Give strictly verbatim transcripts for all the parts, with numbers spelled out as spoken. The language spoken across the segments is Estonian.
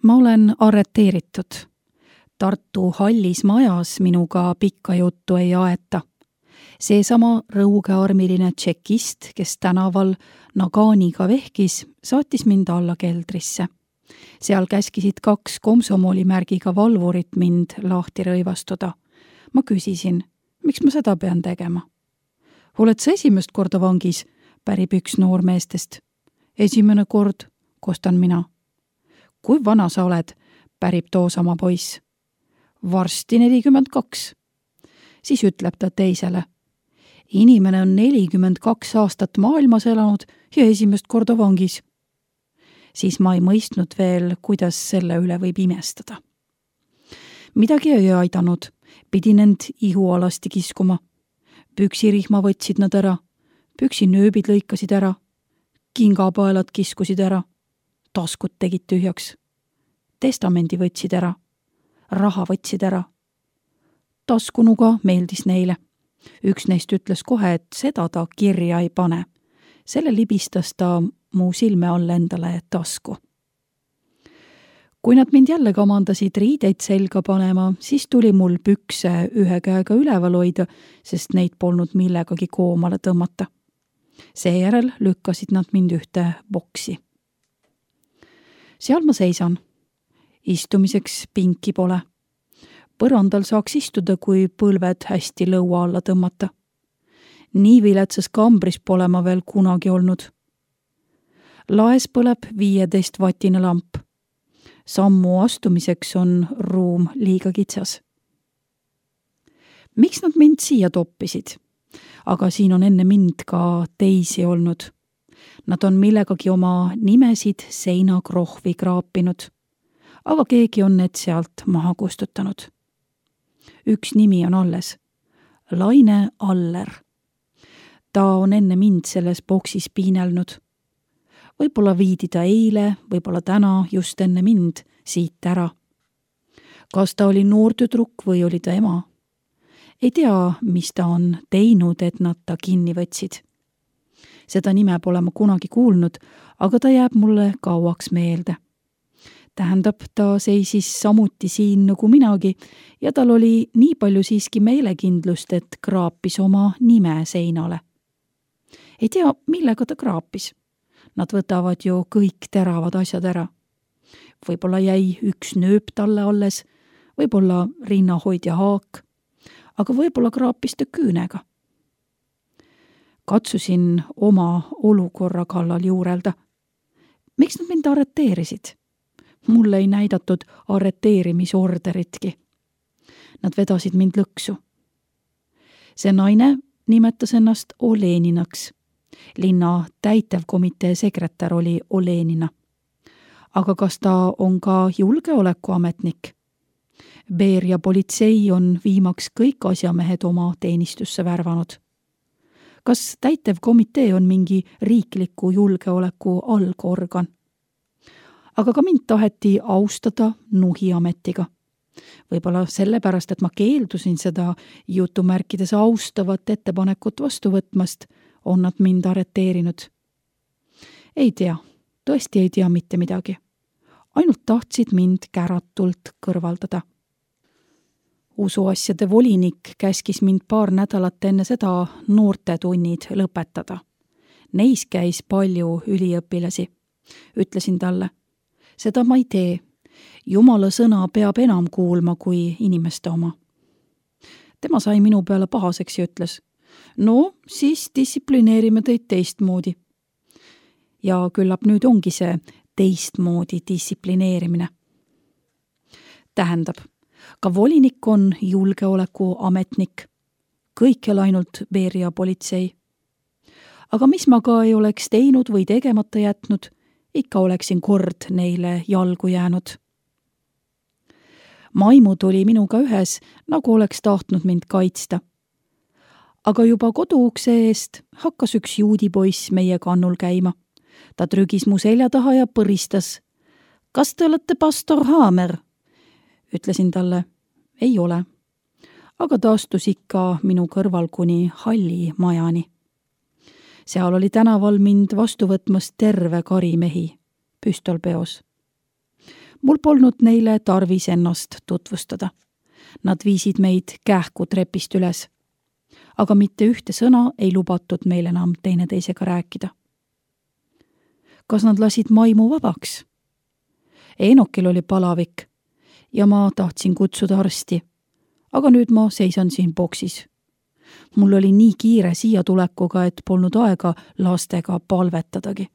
Ma olen arreteeritud. Tartu hallis majas minuga pikka juttu ei aeta. Seesama rõugearmiline tšekist, kes tänaval Naganiga vehkis, saatis mind alla keldrisse. Seal käskisid kaks komsomolimärgiga valvurit mind lahti rõivastuda. Ma küsisin, miks ma seda pean tegema? Oled sa esimest korda vangis? Pärib üks noormeestest. Esimene kord, kostan mina. Kui vana sa oled? Pärib toosama poiss. Varsti nelikümmend kaks. Siis ütleb ta teisele. Inimene on nelikümmend kaks aastat maailmas elanud ja esimest korda vangis. Siis ma ei mõistnud veel, kuidas selle üle võib imestada. Midagi ei aidanud. Pidin end ihualasti kiskuma. Püksirihma võtsid nad ära. Püksinööbid lõikasid ära. Kingapaelad kiskusid ära. Taskud tegid tühjaks. Testamendi võtsid ära. Raha võtsid ära. Taskunuga meeldis neile. Üks neist ütles kohe, et seda ta kirja ei pane. Selle libistas ta mu silme all endale tasku. Kui nad mind jälle kamandasid riideid selga panema, siis tuli mul pükse ühe käega üleval hoida, sest neid polnud millegagi koomale tõmmata. Seejärel lükkasid nad mind ühte boksi. Seal ma seisan. Istumiseks pinki pole. Põrandal saaks istuda, kui põlved hästi lõua alla tõmmata. Nii viletsas kambris pole ma veel kunagi olnud. Laes põleb viieteist vatine lamp. Sammu astumiseks on ruum liiga kitsas. Miks nad mind siia toppisid? Aga siin on enne mind ka teisi olnud. Nad on millegagi oma nimesid seinakrohvi kraapinud. Aga keegi on need sealt maha kustutanud. Üks nimi on alles. Laine Aller. Ta on enne mind selles boksis piinelnud. Võib-olla viidi ta eile, võib-olla täna just enne mind siit ära. Kas ta oli noortüdruk või oli ta ema? Ei tea, mis ta on teinud, et nad ta kinni võtsid. Seda nime pole ma kunagi kuulnud, aga ta jääb mulle kauaks meelde. Tähendab, ta seisis samuti siin nagu minagi ja tal oli nii palju siiski meelekindlust, et kraapis oma nime seinale. Ei tea, millega ta kraapis. Nad võtavad ju kõik teravad asjad ära. Võib-olla jäi üks nööp talle alles, võib-olla rinnahoidja haak, aga võib-olla kraapis ta küünega. Katsusin oma olukorra kallal juurelda. Miks nad mind arreteerisid? Mulle ei näidatud arreteerimisorderitki. Nad vedasid mind lõksu. See naine nimetas ennast Oleninaks. Linna täitevkomitee sekretär oli Olenina. Aga kas ta on ka julgeolekuametnik? Beria politsei on viimaks kõik asjamehed oma teenistusse värvanud. Kas täitevkomitee on mingi riikliku julgeoleku algorgan? Aga ka mind taheti austada nuhiametiga. Võib-olla sellepärast, et ma keeldusin seda jutumärkides austavat ettepanekut vastu võtmast, on nad mind arreteerinud. Ei tea, tõesti ei tea mitte midagi. Ainult tahtsid mind käratult kõrvaldada. Usuasjade volinik käskis mind paar nädalat enne seda noortetunnid lõpetada. Neis käis palju üliõpilasi. Ütlesin talle, seda ma ei tee. Jumala sõna peab enam kuulma kui inimeste oma. Tema sai minu peale pahaseks ja ütles, no siis distsiplineerime teid teistmoodi. Ja küllap nüüd ongi see teistmoodi distsiplineerimine. Tähendab, ka volinik on julgeolekuametnik. Kõikjal ainult Beria politsei. Aga mis ma ka ei oleks teinud või tegemata jätnud, ikka oleksin kord neile jalgu jäänud. Maimud oli minuga ühes, nagu oleks tahtnud mind kaitsta. Aga juba koduukse eest hakkas üks juudipoiss meie kannul käima. Ta trügis mu selja taha ja põristas. Kas te olete pastor Haamer? Ütlesin talle, ei ole. Aga ta astus ikka minu kõrval kuni halli majani. Seal oli tänaval mind vastu võtmas terve kari mehi, püstol peos. Mul polnud neile tarvis ennast tutvustada. Nad viisid meid kähku trepist üles. Aga mitte ühte sõna ei lubatud meil enam teineteisega rääkida. Kas nad lasid maimu vabaks? Enokil oli palavik ja ma tahtsin kutsuda arsti, aga nüüd ma seisan siin boksis. Mul oli nii kiire siia tulekuga, et polnud aega lastega palvetadagi.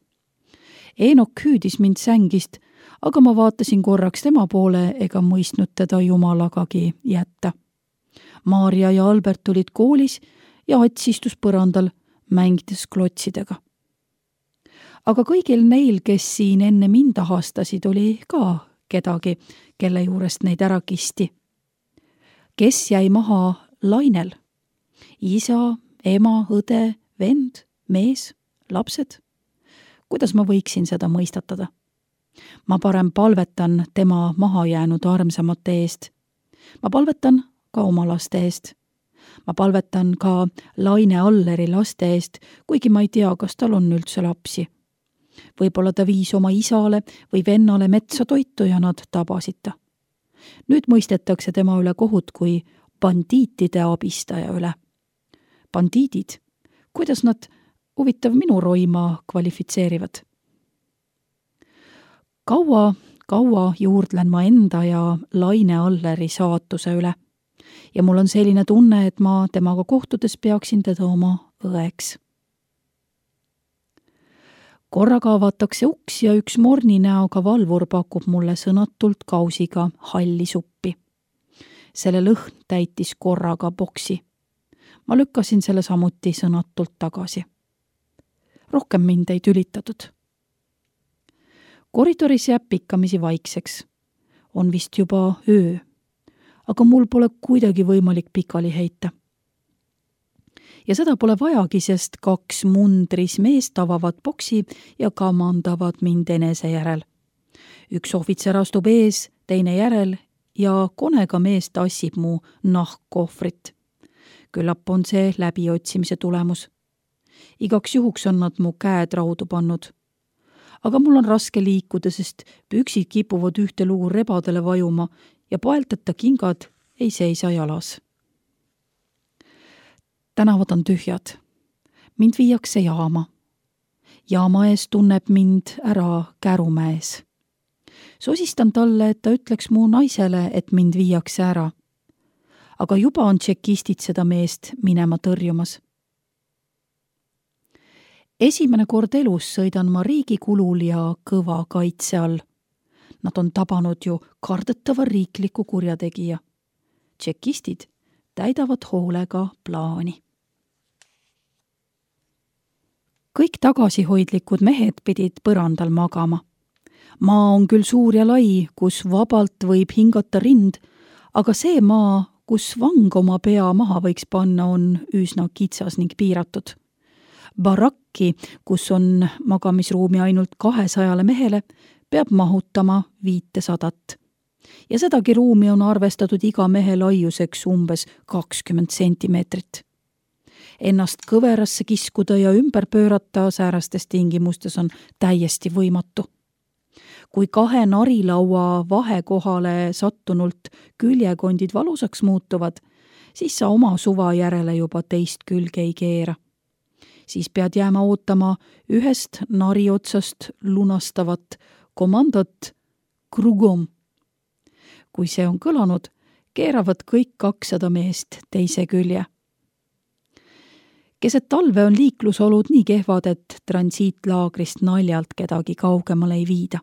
Enok hüüdis mind sängist, aga ma vaatasin korraks tema poole ega mõistnud teda jumalagagi jätta. Maarja ja Albert tulid koolis ja Ats istus põrandal, mängides klotsidega. Aga kõigil neil, kes siin enne mind ahastasid, oli ka kedagi, kelle juurest neid ära kisti. Kes jäi maha lainel? Isa, ema, õde, vend, mees, lapsed? Kuidas ma võiksin seda mõistatada? Ma parem palvetan tema maha jäänud armsamate eest. Ma palvetan ka oma laste eest. Ma palvetan ka Laine Alleri laste eest, kuigi ma ei tea, kas tal on üldse lapsi. Võib-olla ta viis oma isale või vennale metsa toitu ja nad tabasid ta. Nüüd mõistetakse tema üle kohut kui bandiitide abistaja üle. Bandiidid, kuidas nad huvitav minu roima kvalifitseerivad? Kaua, kaua juurdlen ma enda ja Laine Alleri saatuse üle ja mul on selline tunne, et ma temaga kohtudes peaksin teda oma õeks. Korraga avatakse uks ja üks morni näoga valvur pakub mulle sõnatult kausiga halli suppi. Selle lõhn täitis korraga boksi. Ma lükkasin selle samuti sõnatult tagasi. Rohkem mind ei tülitatud. Koridoris jääb pikkamisi vaikseks. On vist juba öö, aga mul pole kuidagi võimalik pikali heita. Ja seda pole vajagi, sest kaks mundris meest avavad boksi ja kamandavad mind enese järel. Üks ohvitser astub ees, teine järel ja konega mees tassib mu nahkkohvrit. Küllap on see läbiotsimise tulemus. Igaks juhuks on nad mu käed raudu pannud. Aga mul on raske liikuda, sest püksid kipuvad ühte lugu rebadele vajuma ja paelteta kingad ei seisa jalas. Tänavad on tühjad. Mind viiakse jaama. Jaama ees tunneb mind ära Kärumäes. Sosistan talle, et ta ütleks mu naisele, et mind viiakse ära. Aga juba on tšekistid seda meest minema tõrjumas. Esimene kord elus sõidan ma riigi kulul ja kõva kaitse all. Nad on tabanud ju kardetava riikliku kurjategija. Tšekistid täidavad hoolega plaani. Kõik tagasihoidlikud mehed pidid põrandal magama. Maa on küll suur ja lai, kus vabalt võib hingata rind, aga see maa, kus vang oma pea maha võiks panna, on üsna kitsas ning piiratud. Barakki, kus on magamisruumi ainult kahesajale mehele, peab mahutama viitesadat. Ja sedagi ruumi on arvestatud iga mehe laiuseks umbes kakskümmend sentimeetrit. Ennast kõverasse kiskuda ja ümber pöörata säärastes tingimustes on täiesti võimatu. Kui kahe narilaua vahekohale sattunult küljekondid valusaks muutuvad, siis sa oma suva järele juba teist külge ei keera. Siis pead jääma ootama ühest nari otsast lunastavat komandot krugom. Kui see on kõlanud, keeravad kõik kakssada meest teise külje. Keset talve on liiklusolud nii kehvad, et transiitlaagrist naljalt kedagi kaugemale ei viida.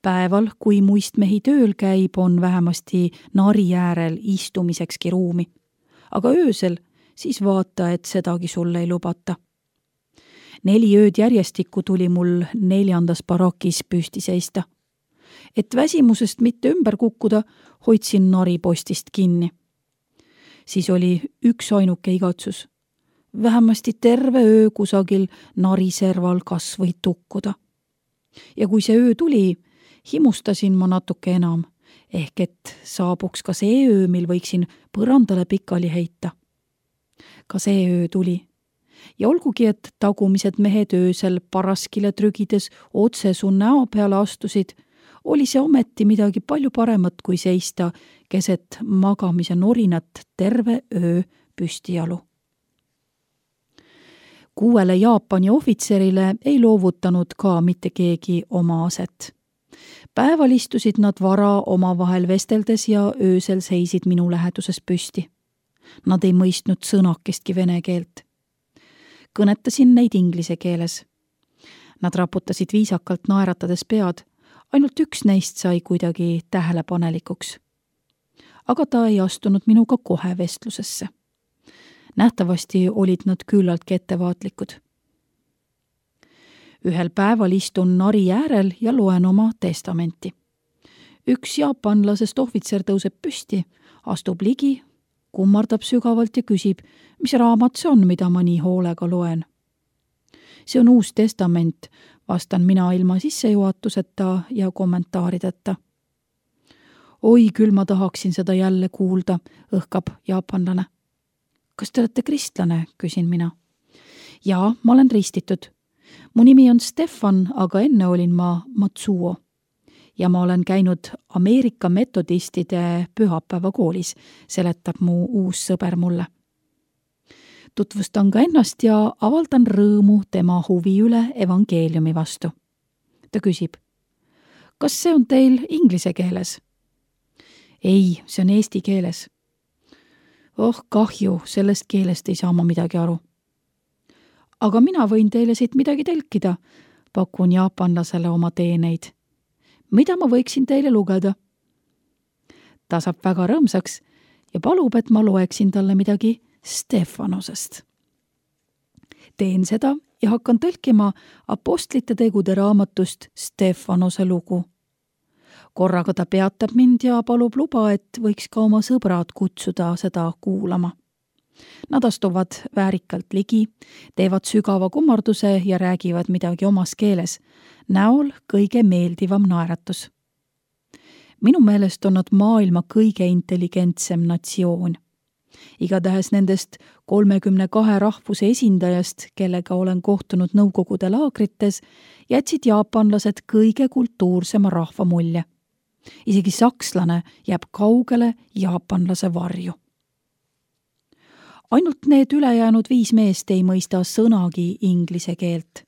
Päeval, kui muistmehi tööl käib, on vähemasti nari äärel istumisekski ruumi. Aga öösel siis vaata, et sedagi sulle ei lubata. Neli ööd järjestikku tuli mul neljandas barakis püsti seista. Et väsimusest mitte ümber kukkuda, hoidsin naripostist kinni. Siis oli üks ainuke igatsus. Vähemasti terve öö kusagil nariserval kas või tukkuda. Ja kui see öö tuli, himustasin ma natuke enam, ehk et saabuks ka see öö, mil võiksin põrandale pikali heita. Ka see öö tuli. Ja olgugi, et tagumised mehed öösel paraskile trügides otse su näo peale astusid, oli see ometi midagi palju paremat kui seista keset magamise norinat terve öö püstijalu. Kuuele Jaapani ohvitserile ei loovutanud ka mitte keegi oma aset. Päeval istusid nad vara omavahel vesteldes ja öösel seisid minu läheduses püsti. Nad ei mõistnud sõnakestki vene keelt. Kõnetasin neid inglise keeles. Nad raputasid viisakalt naeratades pead, ainult üks neist sai kuidagi tähelepanelikuks. Aga ta ei astunud minuga kohe vestlusesse. Nähtavasti olid nad küllaltki ettevaatlikud. Ühel päeval istun nari äärel ja loen oma testamenti. Üks jaapanlasest ohvitser tõuseb püsti, astub ligi, kummardab sügavalt ja küsib, mis raamat see on, mida ma nii hoolega loen. See on Uus Testament, vastan mina ilma sissejuhatuseta ja kommentaarideta. Oi, küll ma tahaksin seda jälle kuulda, õhkab jaapanlane. Kas te olete kristlane, küsin mina. Jaa, ma olen ristitud. Mu nimi on Stefan, aga enne olin ma Matsuo. Ja ma olen käinud Ameerika metodistide pühapäevakoolis, seletab mu uus sõber mulle. Tutvustan ka ennast ja avaldan rõõmu tema huvi üle evangeeliumi vastu. Ta küsib, kas see on teil inglise keeles? Ei, see on eesti keeles. Oh, kahju, sellest keelest ei saa ma midagi aru. Aga mina võin teile siit midagi telkida, pakun jaapanlasele oma teeneid. Mida ma võiksin teile lugeda? Ta saab väga rõõmsaks ja palub, et ma loeksin talle midagi Stefanosest. Teen seda ja hakkan tõlkima apostlite tegude raamatust Stefanose lugu. Korraga ta peatab mind ja palub luba, et võiks ka oma sõbrad kutsuda seda kuulama. Nad astuvad väärikalt ligi, teevad sügava kummarduse ja räägivad midagi omas keeles, näol kõige meeldivam naeratus. Minu meelest on nad maailma kõige intelligentsem natsioon. Igatahes nendest kolmekümne kahe rahvuse esindajast, kellega olen kohtunud nõukogude laagrites, jätsid jaapanlased kõige kultuursema rahva mulje. Isegi sakslane jääb kaugele jaapanlase varju. Ainult need ülejäänud viis meest ei mõista sõnagi inglise keelt.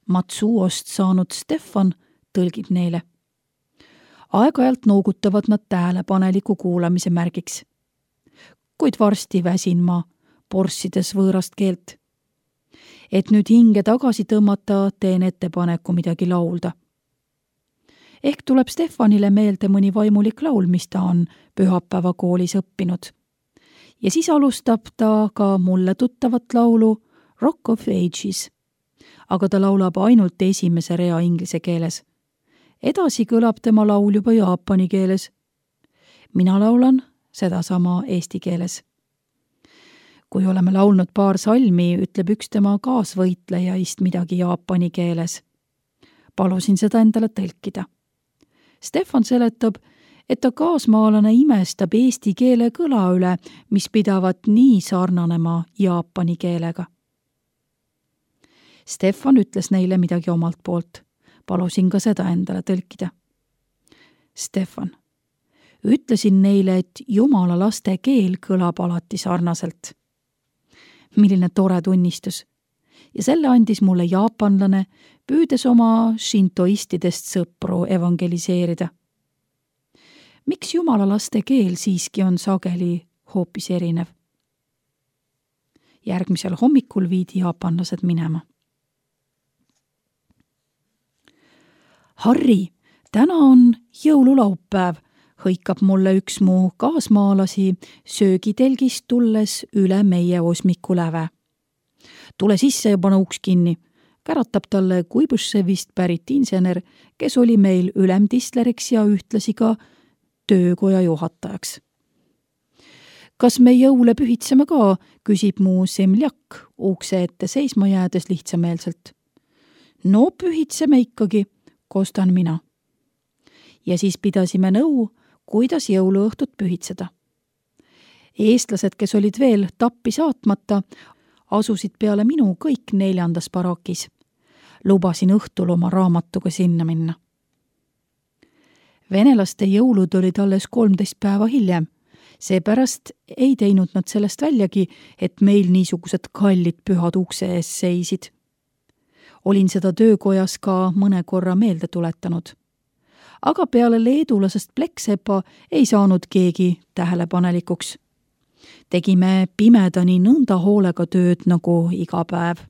Matsuost saanud Stefan tõlgib neile. Aeg-ajalt noogutavad nad tähelepaneliku kuulamise märgiks. Kuid varsti väsin ma porssides võõrast keelt. Et nüüd hinge tagasi tõmmata, teen ettepaneku midagi laulda. Ehk tuleb Stefanile meelde mõni vaimulik laul, mis ta on pühapäevakoolis õppinud. Ja siis alustab ta ka mulle tuttavat laulu Rock of Ages. Aga ta laulab ainult esimese rea inglise keeles. Edasi kõlab tema laul juba jaapani keeles. Mina laulan sedasama eesti keeles. Kui oleme laulnud paar salmi, ütleb üks tema kaasvõitlejaist midagi jaapani keeles. Palusin seda endale tõlkida. Stefan seletab, et ta kaasmaalane imestab eesti keele kõla üle, mis pidavat nii sarnanema jaapani keelega. Stefan ütles neile midagi omalt poolt. Palusin ka seda endale tõlkida. Stefan. Ütlesin neile, et jumala laste keel kõlab alati sarnaselt. Milline tore tunnistus. Ja selle andis mulle jaapanlane, püüdes oma shintoistidest sõpru evangeliseerida. Miks jumala laste keel siiski on sageli hoopis erinev? Järgmisel hommikul viidi jaapanlased minema. Harri, täna on jõululaupäev, hõikab mulle üks mu kaasmaalasi söögitelgist tulles üle meie osmiku läve. Tule sisse ja pane uks kinni, käratab talle Kuibõševist pärit insener, kes oli meil ülemtistleriks ja ühtlasi ka töökoja juhatajaks. Kas me jõule pühitseme ka, küsib mu semljak ukse ette seisma jäädes lihtsameelselt. No pühitseme ikkagi, kostan mina. Ja siis pidasime nõu, kuidas jõuluõhtut pühitseda. Eestlased, kes olid veel tappi saatmata, asusid peale minu kõik neljandas barakis. Lubasin õhtul oma raamatuga sinna minna. Venelaste jõulud olid alles kolmteist päeva hiljem. Seepärast ei teinud nad sellest väljagi, et meil niisugused kallid pühad ukse ees seisid. Olin seda töökojas ka mõne korra meelde tuletanud. Aga peale leedulasest Pleksepa ei saanud keegi tähelepanelikuks. Tegime pimedani nõnda hoolega tööd nagu iga päev.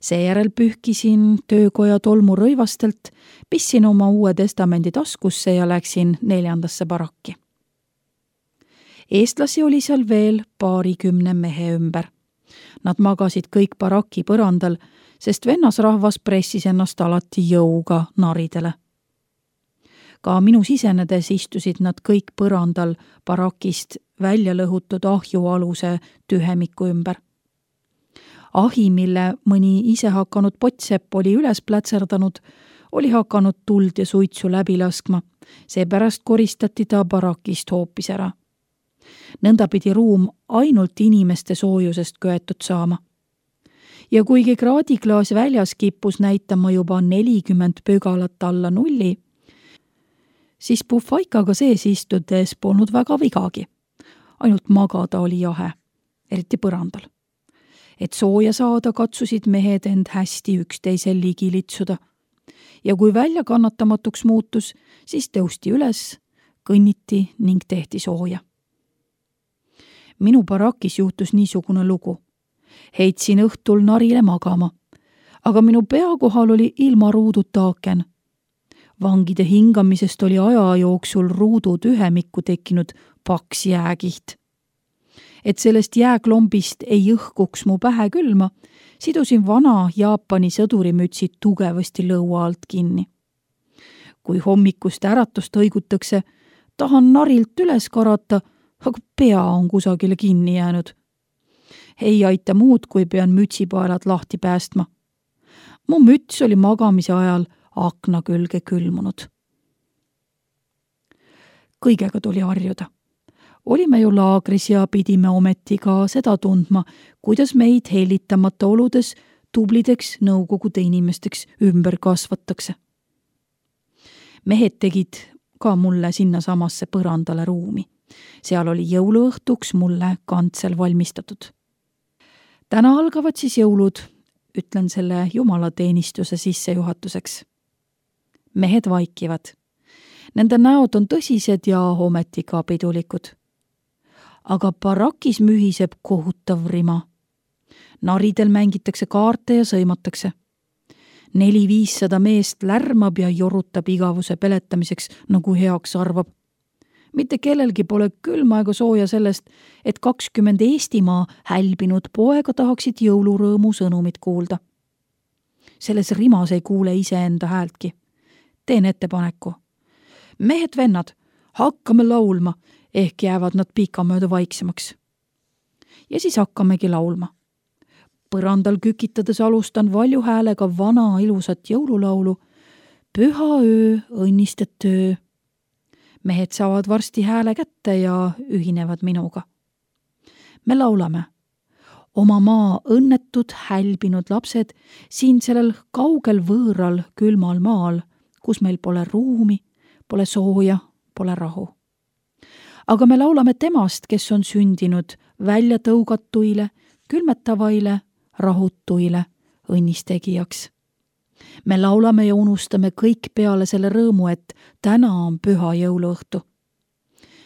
Seejärel pühkisin töökoja tolmu rõivastelt, pissin oma uue testamendi taskusse ja läksin neljandasse barakki. Eestlasi oli seal veel paarikümne mehe ümber. Nad magasid kõik baraki põrandal, sest vennasrahvas pressis ennast alati jõuga naridele. Ka minu sisenedes istusid nad kõik põrandal barakist välja lõhutud ahju aluse tühemiku ümber. Ahi, mille mõni ise hakanud potsepp oli üles plätserdanud, oli hakanud tuld ja suitsu läbi laskma, seepärast koristati ta barakist hoopis ära. Nõnda pidi ruum ainult inimeste soojusest köetud saama. Ja kuigi kraadiklaas väljas kippus näitama juba nelikümmend pögalat alla nulli, siis puhvaikaga sees istudes polnud väga vigagi. Ainult magada oli jahe, eriti põrandal. Et sooja saada, katsusid mehed end hästi üksteisel ligi litsuda. Ja kui välja kannatamatuks muutus, siis tõusti üles, kõnniti ning tehti sooja. Minu barakis juhtus niisugune lugu. Heitsin õhtul narile magama, aga minu pea kohal oli ilma ruuduta aaken. Vangide hingamisest oli aja jooksul ruudu tühemikku tekkinud paks jääkiht. Et sellest jääklombist ei õhkuks mu pähe külma, sidusin vana Jaapani sõdurimütsi tugevasti lõua alt kinni. Kui hommikust äratust õigutakse, tahan narilt üles karata, aga pea on kusagile kinni jäänud. Ei aita muud, kui pean mütsipaelad lahti päästma. Mu müts oli magamise ajal akna külge külmunud. Kõigega tuli harjuda. Olime ju laagris ja pidime ometi ka seda tundma, kuidas meid hellitamata oludes tublideks nõukogude inimesteks ümber kasvatakse. Mehed tegid ka mulle sinna samasse põrandale ruumi. Seal oli jõuluõhtuks mulle kantsel valmistatud. Täna algavad siis jõulud, ütlen selle jumalateenistuse sissejuhatuseks. Mehed vaikivad. Nende näod on tõsised ja ometi ka pidulikud. Aga barakis mühiseb kohutav rima. Naridel mängitakse kaarte ja sõimatakse. Neli-viissada meest lärmab ja jorutab igavuse peletamiseks, nagu heaks arvab. Mitte kellelgi pole külma ega sooja sellest, et kakskümmend Eestimaa hälbinud poega tahaksid jõulurõõmu sõnumit kuulda. Selles rimas ei kuule iseenda häältki. Teen ettepaneku. Mehed vennad, hakkame laulma, ehk jäävad nad pikamööda vaiksemaks. Ja siis hakkamegi laulma. Põrandal kükitades alustan valju häälega vana ilusat jõululaulu. Püha öö, õnnistet öö. Mehed saavad varsti hääle kätte ja ühinevad minuga. Me laulame. Oma maa õnnetud, hälbinud lapsed siin sellel kaugel võõral külmal maal, kus meil pole ruumi, pole sooja, pole rahu. Aga me laulame temast, kes on sündinud välja tõugatuile, külmetavaile, rahutuile, õnnistegijaks. Me laulame ja unustame kõik peale selle rõõmu, et täna on püha jõuluõhtu.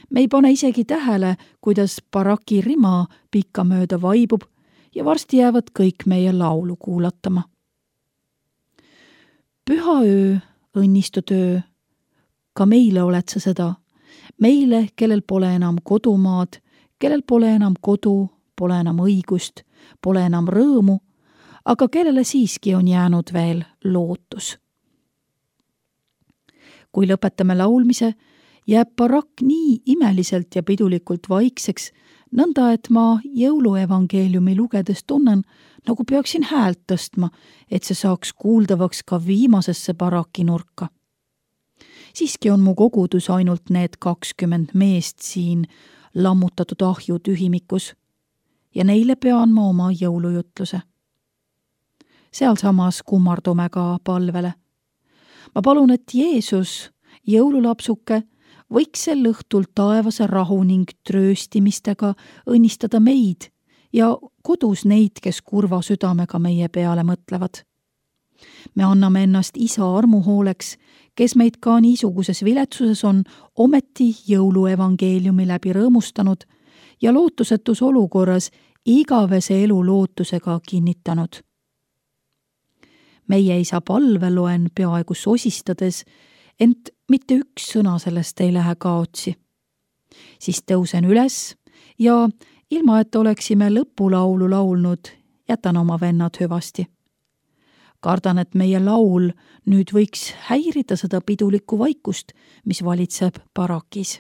Me ei pane isegi tähele, kuidas baraki rima pikka mööda vaibub ja varsti jäävad kõik meie laulu kuulatama. Püha öö, õnnistud öö. Ka meile oled sa seda. Meile, kellel pole enam kodumaad, kellel pole enam kodu, pole enam õigust, pole enam rõõmu, aga kellele siiski on jäänud veel lootus. Kui lõpetame laulmise, jääb barakk nii imeliselt ja pidulikult vaikseks, nõnda et ma jõuluevangeeliumi lugedes tunnen, nagu peaksin häält tõstma, et see saaks kuuldavaks ka viimasesse baraki nurka. Siiski on mu kogudus ainult need kakskümmend meest siin lammutatud ahju tühimikus ja neile pean ma oma jõulujutluse. Sealsamas kummardume ka palvele. Ma palun, et Jeesus jõululapsuke võiks sel õhtul taevase rahu ning trööstimistega õnnistada meid ja kodus neid, kes kurva südamega meie peale mõtlevad. Me anname ennast isa armuhooleks, kes meid ka niisuguses viletsuses on ometi jõuluevangeeliumi läbi rõõmustanud ja lootusetus olukorras igavese elu lootusega kinnitanud. Meie isa palve loen peaaegu sosistades, ent mitte üks sõna sellest ei lähe kaotsi. Siis tõusen üles ja ilma, et oleksime lõpulaulu laulnud, jätan oma vennad hüvasti. Kardan, et meie laul nüüd võiks häirida seda pidulikku vaikust, mis valitseb barakis.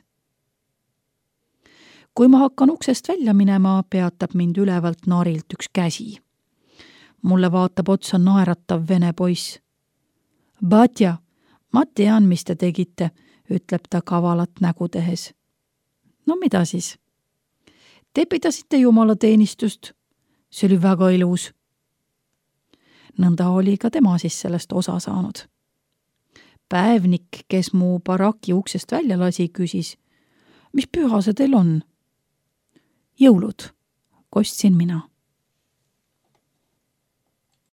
Kui ma hakkan uksest välja minema, peatab mind ülevalt narilt üks käsi. Mulle vaatab otsa naeratav vene poiss. Batja, ma tean, mis te tegite, ütleb ta kavalat nägu tehes. No mida siis? Te pidasite jumalateenistust. See oli väga ilus. Nõnda oli ka tema siis sellest osa saanud. Päevnik, kes mu baraki uksest välja lasi, küsis, mis püha see teil on? Jõulud, kostsin mina.